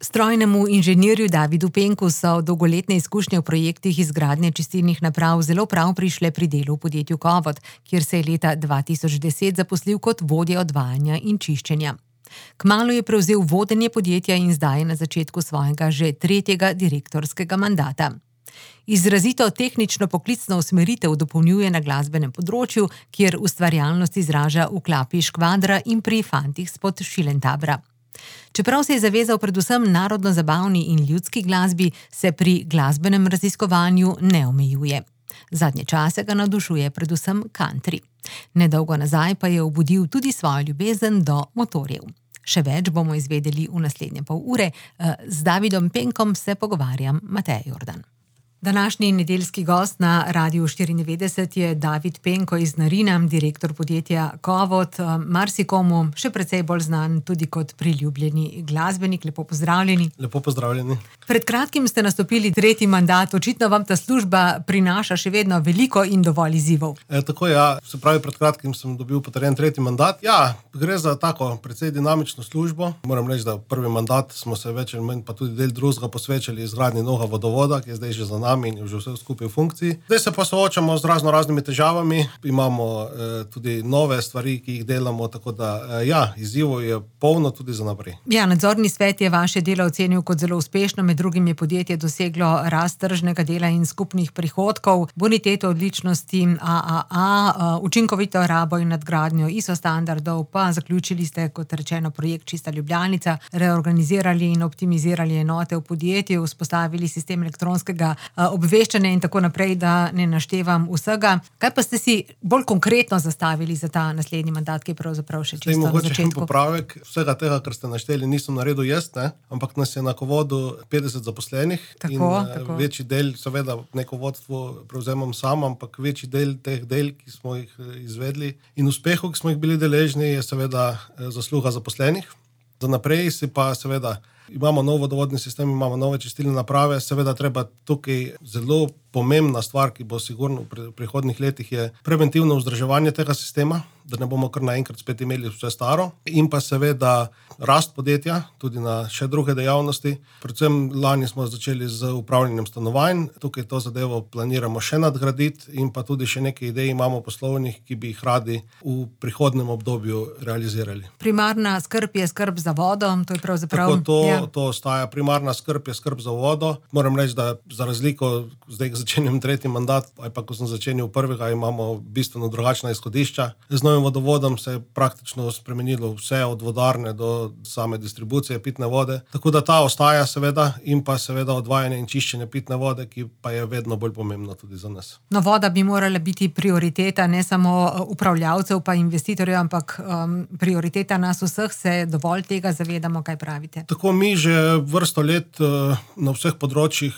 Strojnemu inženirju Davidu Penku so dolgoletne izkušnje v projektih izgradnje čistilnih naprav zelo prav prišle pri delu v podjetju Kovod, kjer se je leta 2010 zaposlil kot vodja odvajanja in čiščenja. Kmalu je prevzel vodenje podjetja in zdaj je na začetku svojega že tretjega direktorskega mandata. Izrazito tehnično poklicno usmeritev dopolnjuje na glasbenem področju, kjer ustvarjalnost izraža v klapi Škvadra in pri fantih spod Šilentabra. Čeprav se je zavezal predvsem narodno-zabavni in ljudski glasbi, se pri glasbenem raziskovanju ne omejuje. Zadnje čase ga navdušuje predvsem country. Nedolgo nazaj pa je obudil tudi svojo ljubezen do motorjev. Še več bomo izvedeli v naslednje pol ure. Z Davidom Penkom se pogovarjam Mateja Jordan. Današnji nedeljski gost na Radiu 94 je David Penko iz Narina, direktor podjetja Kovod. Marsikomu še precej bolj znan tudi kot priljubljeni glasbenik. Lepo pozdravljeni. Lepo pozdravljeni. Pred kratkim ste nastopili tretji mandat. Očitno vam ta služba prinaša še vedno veliko in dovolj izzivov. Tako ja, se pravi, pred kratkim sem dobil potrjen tretji mandat. Ja, gre za tako precej dinamično službo. Moram reči, da v prvi mandat smo se več ali manj pa tudi del drugega posvečali izgradnji novega vodovoda, ki je zdaj že za nami in je že vse skupaj v funkciji. Zdaj se pa soočamo z raznimi težavami. Imamo tudi nove stvari, ki jih delamo, tako da izzivov je polno tudi za naprej. Ja, nadzorni svet je vaše delo ocenil kot zelo uspešno, med drugim je podjetje doseglo rast tržnega dela in skupnih prihodkov, boniteto odličnosti AAA, učinkovito rabo in nadgradnjo ISO standardov, pa zaključili ste, kot rečeno, projekt Čista Ljubljanica, reorganizirali in optimizirali enote v podjetju, vzpostavili sistem elektronskega obveščanja in tako naprej, da ne naštevam vsega. Kaj pa ste si bolj konkretno zastavili za ta naslednji mandat, ki je pravzaprav še čisto na začetku? Mogoče popravek vsega tega, kar ste našteli, nisem naredil jaz, ampak nas je na Kovodu 50 zaposlenih. Tako. Večji del, seveda, neko vodstvo prevzemam sam, ampak večji del teh del, ki smo jih izvedli in uspehov, ki smo jih bili deležni, je seveda zasluga zaposlenih. Za naprej si pa seveda imamo nov vodovodni sistem, imamo nove čistilne naprave, seveda treba tukaj zelo pomembna stvar, ki bo sigurno v prihodnjih letih, je preventivno vzdrževanje tega sistema, da ne bomo kar naenkrat spet imeli vse staro, in pa seveda rast podjetja, tudi na še druge dejavnosti. Predvsem lani smo začeli z upravljanjem stanovanj, tukaj to zadevo planiramo še nadgraditi in pa tudi še nekaj idej imamo poslovnih, ki bi jih radi v prihodnjem obdobju realizirali. Primarna skrb je skrb za vodo, to je pravzaprav... To ostaja. Primarna skrb je skrb za vodo. Moram reči, da za razliko zdaj začenjam tretji mandat, ali pa ko sem začenil prvega, imamo bistveno drugačna izhodišča. Z novim vodovodom se je praktično spremenilo vse od vodarne do same distribucije pitne vode. Tako da ta ostaja seveda in pa seveda odvajanje in čiščenje pitne vode, ki pa je vedno bolj pomembno tudi za nas. No, voda bi morala biti prioriteta ne samo upravljavcev pa investitorjev, ampak prioriteta nas vseh. Se dovolj tega zavedamo, kaj pravite? Tako mi že vrsto let na vseh področjih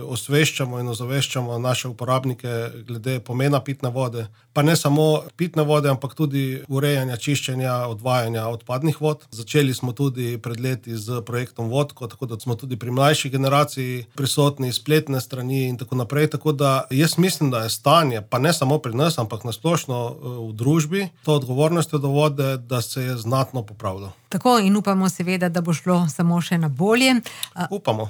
osveščamo in ozaveščamo naše uporabnike glede pomena pitne vode. Pa ne samo pitne vode, ampak tudi urejanja, čiščenja, odvajanja odpadnih vod. Začeli smo tudi pred leti z projektom Vodko, tako da smo tudi pri mlajši generaciji prisotni, spletne strani in tako naprej. Tako da jaz mislim, da je stanje, pa ne samo pri nas, ampak nasplošno v družbi, to odgovornostjo do vode, da se je znatno popravilo. Tako, in upamo seveda, da bo šlo samo še na bolje. Upamo.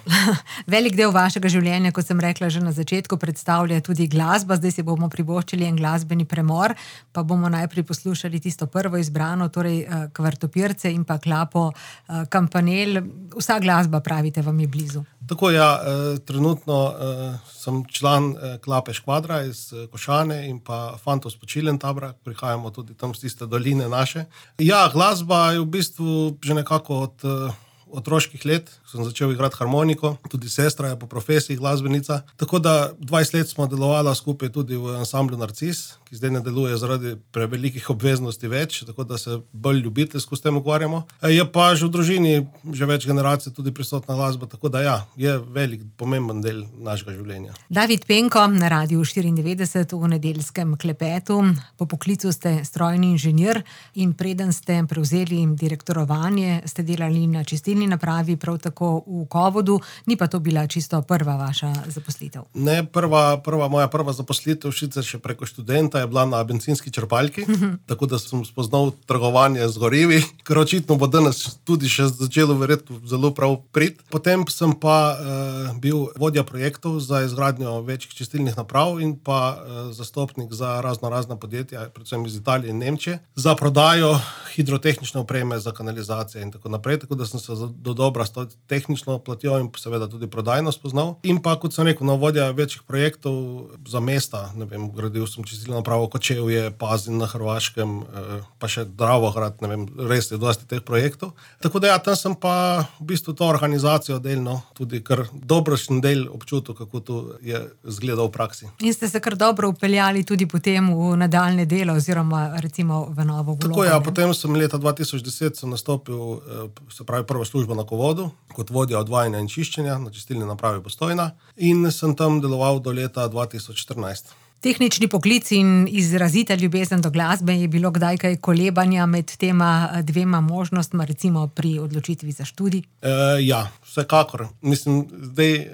Velik del vašega življenja, kot sem rekla že na začetku, predstavlja tudi glasba. Zdaj si bomo privoščili en glasbeni premor, pa bomo najprej poslušali tisto prvo izbrano, torej Kvartopirce in pa klapo Kampanel. Vsa glasba, pravite, vam je blizu. Tako trenutno sem član klape Škvadra iz Košane in pa fantov spod Šilentabra, prihajamo tudi tam z tiste doline naše. Ja, glasba je v bistvu že nekako od otroških let, sem začel igrati harmoniko, tudi sestra je po profesiji glasbenica, tako da 20 let smo delovala skupaj tudi v ansamblu Narcis, ki zdaj ne deluje zaradi prevelikih obveznosti več, tako da se bolj ljubiteljsko s tem ukvarjamo. Je pa že v družini že več generacij tudi prisotna glasba, tako da je velik, pomemben del našega življenja. David Penko na Radiu 94 v nedeljskem klepetu. Po poklicu ste strojni inženir in preden ste prevzeli direktorovanje, ste delali na čistilni čistilni napravi, prav tako v Kovodu, ni pa to bila čisto prva vaša zaposlitev. Ne, moja prva zaposlitev, sicer še preko študenta, je bila na bencinski črpalki, tako da sem spoznal trgovanje z gorivi, ker očitno bo danes tudi še začelo verjetno zelo prav prid. Potem sem pa bil vodja projektov za izgradnjo večjih čistilnih naprav in pa zastopnik za razna podjetja, predvsem iz Italije in Nemčije, za prodajo hidrotehnične opreme za kanalizacije in tako naprej, tako da sem se dodobra s to tehnično platjo in seveda tudi prodajno spoznal. In pa, kot sem rekel, vodja večjih projektov za mesta, ne vem, gradil sem čistilno napravo Kočevje, Pazin na Hrvaškem, pa še Dravograd, ne vem, res je dosti teh projektov. Tako da tam sem pa v bistvu to organizacijo delno tudi kar dobrošen del občutil, kako to je izgledalo v praksi. In ste se kar dobro upeljali tudi potem v nadaljne delo oziroma recimo v novo vlogo. Tako ja, potem sem leta 2010 nastopil, se pravi prvo službo na Kovodu, kot vodja odvajanja in čiščenja na čistilni napravi Postojna in sem tam deloval do leta 2014. Tehnični poklic in izrazita ljubezen do glasbe, je bilo kdaj kaj kolebanja med tema dvema možnostma, recimo pri odločitvi za študij? Ja, vsekakor. Mislim, zdaj,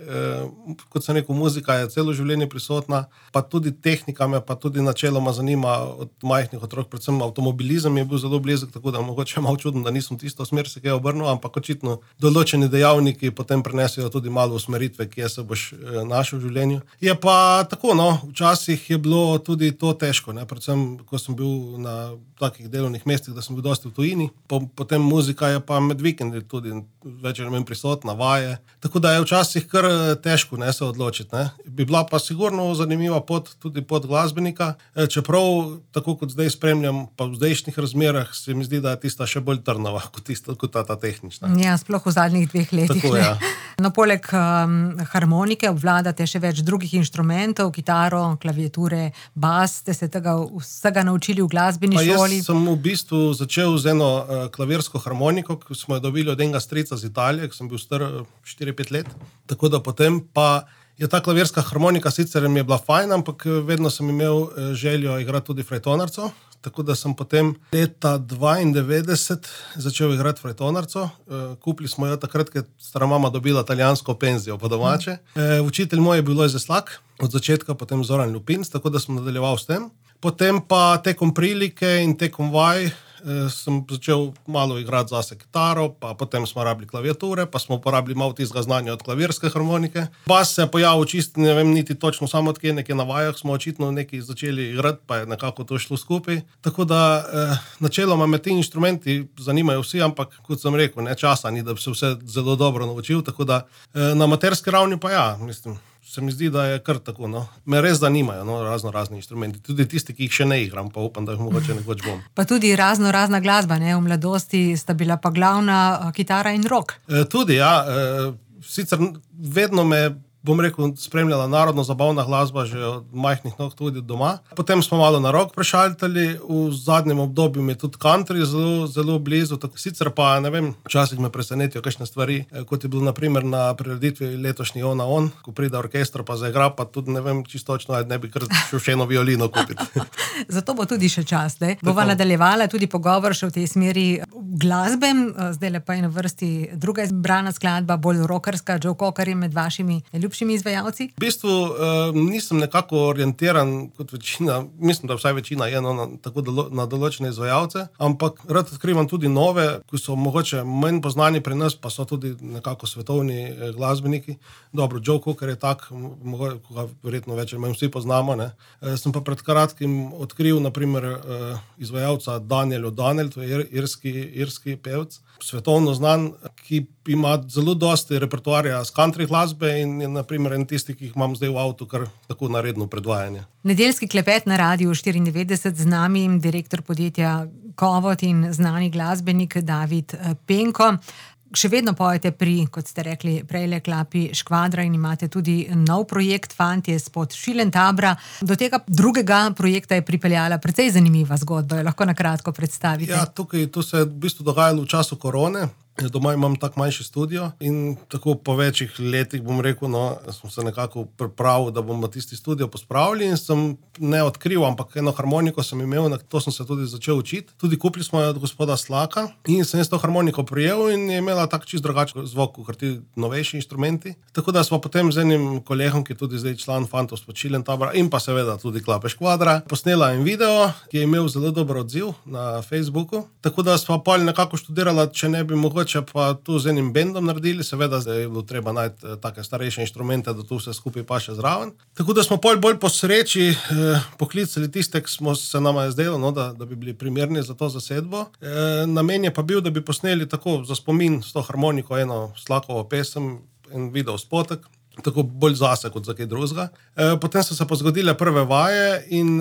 kot sem rekel, muzika je celo življenje prisotna, pa tudi tehnika me pa tudi načeloma zanima od majhnih otrok, predvsem avtomobilizem je bil zelo blizek, tako da mogoče malo čudno, da nisem tisto smer se kaj obrnil, ampak očitno določeni dejavniki potem prenesejo tudi malo usmeritve, kje se boš našel v življenju. Je pa tako, včasih je bilo tudi to težko, predvsem, ko sem bil na takih delovnih mestih, da sem bil dosti v tujini. Potem muzika je pa med vikendi tudi večer manj prisotna, vaje. Tako da je včasih kar težko se odločiti. Bi bila pa sigurno zanimiva pot, tudi pot glasbenika, čeprav, tako kot zdaj spremljam, pa v zdajšnjih razmerah se mi zdi, da je tista še bolj trnova kot ta tehnična. Ja, sploh v zadnjih 2 letih. Tako, ja. No, poleg harmonike obvladate še več drugih inštrumentov, kitaro, klaviature, bas, ste se tega vsega naučili v glasbeni šoli? Jaz sem v bistvu začel z eno klavirsko harmoniko, ki smo jo dobili od enega strica z Italije, ki sem bil star 4-5 let. Tako da potem pa je ta klavirska harmonika sicer mi je bila fajn, ampak vedno sem imel željo igrati tudi frajtonarco. Tako da sem potem leta 1992 začel igrati frajtonarco. Kupili smo jo takrat, ker stara mama dobila italijansko penzijo po domače. Učitelj moj je bil Lojze Slak, od začetka potem Zoran Ljupinc, tako da sem nadaljeval s tem. Potem pa tekom prilike in tekom vaj sem začel malo igrati zase kitaro, pa potem smo rabili klaviature, pa smo uporabili malo tistega znanja od klavirske harmonike. Bas se je pojavil čisto, ne vem niti točno samo odkje, nekje na vajah smo očitno nekaj začeli igrati, pa je nekako to šlo skupaj. Tako da načeloma me ti inštrumenti zanimajo vsi, ampak kot sem rekel, časa ni, da bi se vse zelo dobro naučil, tako da na amaterski ravni pa ja, mislim. Se mi zdi, da je kar tako, Me res zanimajo, razni inštrumenti. Tudi tisti, ki jih še ne igram, pa upam, da jih mogoče nekoč bom. Pa tudi razna glasba, V mladosti sta bila pa glavna kitara in rock. Tudi, ja. Sicer vedno me, bom rekel, spremljala narodno-zabavna glasba že od majhnih nog tudi doma. Potem smo malo na rock prešaltali, v zadnjem obdobju mi je tudi country zelo blizu. Sicer pa, ne vem, včasih me presenetijo kakšne stvari, kot je bilo na primer na prireditvi letošnji On a On, ko pride orkester pa zaigra, pa tudi ne vem čisto točno, ne bi kar šel še eno violino kupiti. Zato bo tudi še čas, Bova nadaljevala tudi pogovor še v tej smeri glasbe. Zdaj pa je na vrsti druga izbrana skladba, bolj rockerska. Joe Cocker je med vašimi ljubšimi izvajalci? V bistvu nisem nekako orientiran kot večina, mislim, da vsaj večina je tako na določene izvajalce, ampak rad odkrivam tudi nove, ki so mogoče manj poznani pri nas, pa so tudi nekako svetovni glasbeniki. Dobro, Joe Cocker je tak, koga verjetno več ali manj vsi poznamo. Sem pa pred kratkim odkril na primer izvajalca Daniel O'Donnell, to je irski pevec, svetovno znan, ki ima zelo dosti repertoarja z country glasbe in je na primer en tisti, ki jih imam zdaj v avtu, kar tako na redno predvajanje. Nedeljski klepet na Radiu 94, z nami direktor podjetja Kovod in znani glasbenik David Penko. Še vedno pojete pri, kot ste rekli, prejle klapi Škvadra in imate tudi nov projekt Fantje spod Šilentabra. Do tega drugega projekta je pripeljala precej zanimiva zgodba, jo lahko na kratko predstavite. Ja, to se je v bistvu dogajalo v času korone. Doma imam tak manjši studio in tako po večjih letih, bom rekel, sem se nekako pripravil, da bomo tisti studio pospravili in sem ne odkril, ampak eno harmoniko sem imel, na to sem se tudi začel učiti. Tudi kupili smo jo od gospoda Slaka in sem to harmoniko prijel in je imela tak čist drugačen zvok, kot ti novejši instrumenti. Tako da smo potem z enim kolegom, ki je tudi zdaj član Fantov s Počiljen tabora in pa seveda tudi Klape Škvadra, posnela en video, ki je imel zelo dober odziv na Facebooku. Tako da smo pa nekako študirala, če ne bi mogoče pa tu z enim bendom naredili, seveda zdaj je bilo treba najti take starejše inštrumente, da tu vse skupaj pa še zraven. Tako da smo bolj po sreči poklicali tiste, ki smo se nama je zdelo, da bi bili primerni za to zasedbo. Namen je pa bil, da bi posneli tako za spomin s to harmoniko eno Slakovo pesem, en video spotek, tako bolj zase kot za kaj drugega. Potem so se pa zgodile prve vaje in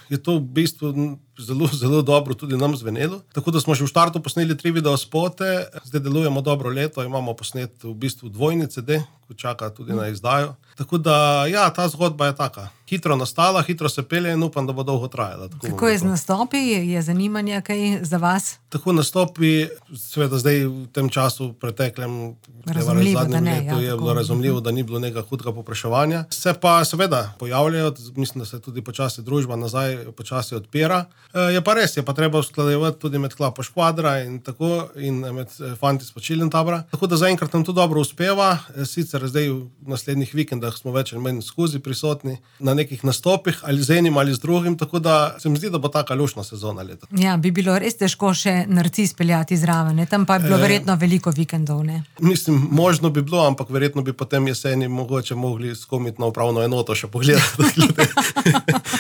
je to v bistvu zelo, zelo dobro tudi nam zvenelo. Tako da smo že v štartu posneli 3 videospote, zdaj delujemo dobro leto, imamo posnet v bistvu dvojni CD, ko čaka tudi na izdajo. Tako da, ja, ta zgodba je taka. Hitro nastala, hitro se pelje in upam, da bo dolgo trajala. Kako je z nastopi? Je zanimanje kaj za vas? Tako nastopi, seveda zdaj v tem času preteklem zadnjem letu je bilo razumljivo, da ni bilo nekega hudega povpraševanja. Se pa seveda pojavljajo, mislim, da se tudi počasi družba nazaj počasi odpira. Je pa res, je pa treba usklajevati tudi med Klapo Škvadra in tako in med Fanti s Počiljen tabora. Tako da zaenkrat nam to dobro uspeva. Sicer zdaj v naslednjih vikendah smo več ali manj skozi prisotni na nekih nastopih, ali z enim ali z drugim, tako da se mi zdi, da bo taka lušna sezona leta. Ja, bi bilo res težko še Narcis peljati zraven, ne? Tam pa je bilo verjetno veliko vikendov, ne? Mislim, možno bi bilo, ampak verjetno bi potem jeseni mogoče mogli skomiti na upravno enoto še pogledati.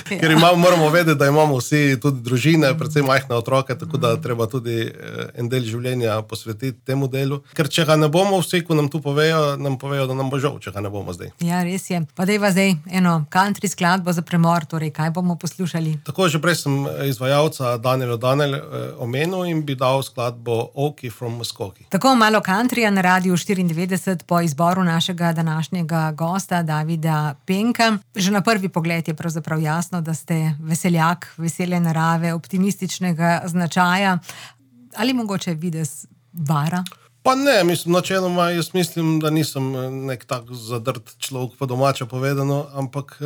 Ker moramo vedeti, da imamo vsi tudi družine, predvsem majhne otroke, tako da treba tudi en del življenja posvetiti temu delu. Ker če ga ne bomo, vsi, ko nam tu povejo, da nam bo žal, če ga ne bomo zdaj. Ja, res je. Pa dejva zdaj eno country skladbo za premor, torej kaj bomo poslušali? Tako, že prej sem izvajalca Daniel O'Donnell omenil in bi dal skladbo Okie from Muskoki. Tako malo countryja na Radiu 94 po izboru našega današnjega gosta Davida Penka. Že na prvi pogled je pravzaprav jasno, da ste veseljak, vesele narave, optimističnega značaja. Ali mogoče videz vara? Pa ne, načeloma jaz mislim, da nisem nek tak zadrt človek, po domače povedano, ampak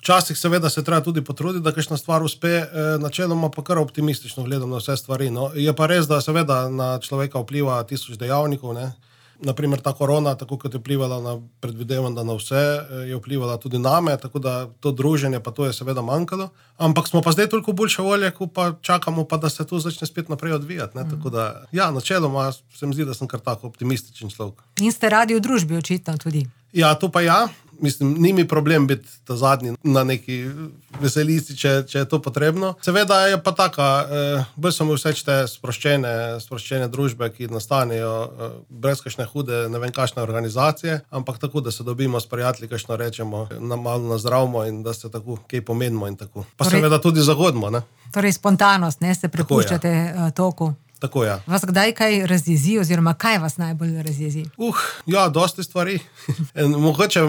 včasih seveda se treba tudi potruditi, da kakšna stvar uspe, načeloma pa kar optimistično gledam na vse stvari. No. Je pa res, da seveda na človeka vpliva 1000 dejavnikov, ne. Naprimer ta korona, tako kot je vplivala na, predvidevam, da na vse, je vplivala tudi name, tako da to druženje pa to je seveda manjkalo. Ampak smo pa zdaj toliko boljše volje, ko pa čakamo pa, da se to začne spet naprej odvijati. Ne? Tako da, ja, načeloma se mi zdi, da sem kar tako optimističen človek. In ste radi v družbi očitno tudi. Ja, to pa ja. Mislim, ni mi problem biti ta zadnji na neki veselici, če je to potrebno. Seveda je pa taka, bolj so mi všeč te sproščene družbe, ki nastanejo brez kakšne hude, ne vem kakšne organizacije, ampak tako, da se dobimo s prijatelji, kakšno rečemo, malo nazdravimo in da se tako kaj pomenimo in tako. Pa torej, seveda tudi zagodimo, ne? Torej spontanost, ne, se prepuščate toku. Tako, ja. Vas kdaj kaj razjezi oziroma kaj vas najbolj razjezi? Ja, dosti stvari. Mogoče,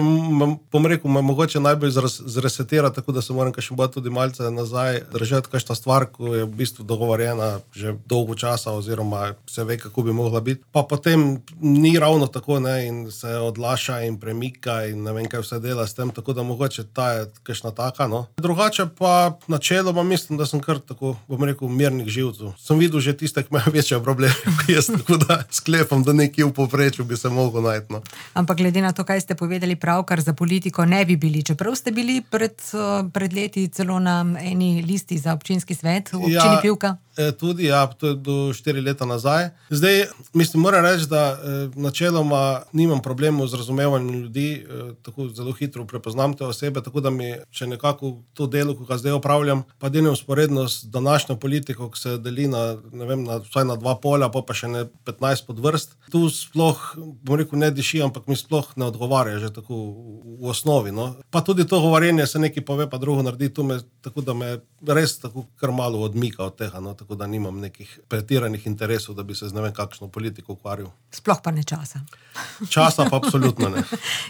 bom rekel, me mogoče najbolj zresetira, tako da se moram kakšen bolj tudi malce nazaj držati kakšna stvar, ko je v bistvu dogovorjena že dolgo časa oziroma se ve, kako bi mogla biti. Pa potem ni ravno tako, ne, in se odlaša in premika in ne vem, kaj vse dela s tem, tako da mogoče ta je kakšna taka, no. Drugače pa načeloma mislim, da sem kar tako, bom rekel, mirnih živcev. Sem videl že tiste, ki večje probleme, jaz tako da sklepam, da nekje v povprečju bi se mogel najti. No. Ampak glede na to, kaj ste povedali pravkar, za politiko ne bi bili, čeprav ste bili pred leti celo na eni listi za občinski svet v občini Pivka. Tudi, ja, to je do 4 leta nazaj. Zdaj, mislim, moram reči, da načeloma nimam problemov z razumevanjem ljudi, tako zelo hitro prepoznam te osebe, tako da mi, če nekako to delo, ko ga zdaj opravljam, pa delim vzporedno s današnjo politiko, ki se deli na, ne vem, vsaj na 2 polja, pa še ne 15 podvrst. Tu sploh, bom rekel, ne diši, ampak mi sploh ne odgovarja že tako v osnovi. No. Pa tudi to govorjenje se nekaj pove, pa drugo naredi, tako da me res tako kar malo odmika od tega, no. Tako da nimam nekih pretiranih interesov, da bi se z ne vem kakšno politiko ukvarjal. Sploh pa ne časa. Časa pa absolutno ne.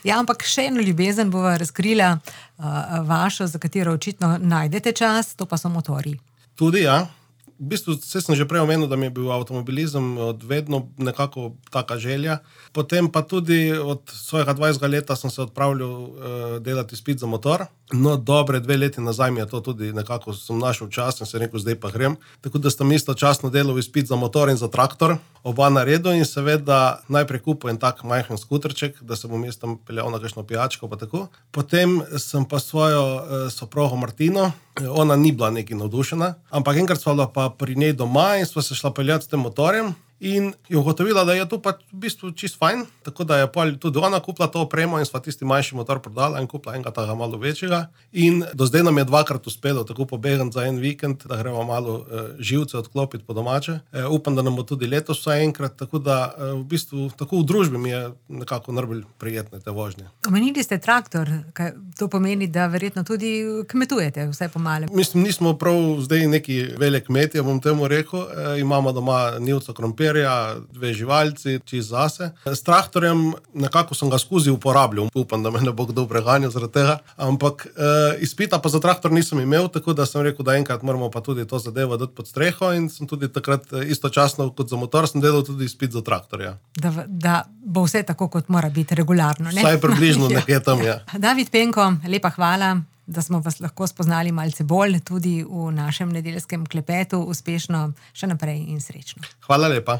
Ja, ampak še eno ljubezen bova razkrila vašo, za katero očitno najdete čas, to pa so motorji. Tudi, ja. V bistvu sem že prej omenil, da mi je bil avtomobilizem od vedno nekako taka želja. Potem pa tudi od svojega 20. leta sem se odpravljal delati izpit za motor. No, dobre 2 leti nazaj mi je to tudi nekako sem našel čas in se rekel, zdaj pa grem. Tako da sem istočasno delal izpit za motor in za traktor, oba na redu in seveda najprej kupil en tak majhen skuterček, da se bom jaz tam peljal na kakšno pijačko pa tako. Potem sem pa svojo soprogo Martino, ona ni bila nekaj navdušena, ampak enkrat sva bila pa pri njej doma in sva se šla peljati s tem motorjem. In je ugotovila, da je to pač v bistvu čist fajn, tako da je tudi ona kupila to opremo in sva tisti manjši motor prodala in kupila enega tega malo večjega. In do zdaj nam je 2-krat uspelo tako pobegati za en vikend, da gremo malo živce odklopiti po domače. Upam, da nam bo tudi letos vsaj enkrat, tako da v bistvu tako v družbi mi je nekako najbolj prijetne te vožnje. Omenili ste traktor, kaj to pomeni, da verjetno tudi kmetujete vsaj po malem. Mislim, nismo prav zdaj neki velik kmetje, bom temu rekel. Imamo doma nivco krompirja, 2 živalci, čist zase. S traktorjem nekako sem ga skozi uporabljal. Upam, da me ne bo kdo preganjal zaradi tega. Ampak izpita pa za traktor nisem imel, tako da sem rekel, da enkrat moramo pa tudi to zadevo dati pod streho in sem tudi takrat istočasno kot za motor sem delal tudi izpit za traktorja. Da bo vse tako, kot mora biti regularno, ne? Vsaj približno nekje tam, ja. David Penko, lepa hvala, da smo vas lahko spoznali malce bolj tudi v našem nedeljskem klepetu. Uspešno še naprej in srečno. Hvala lepa.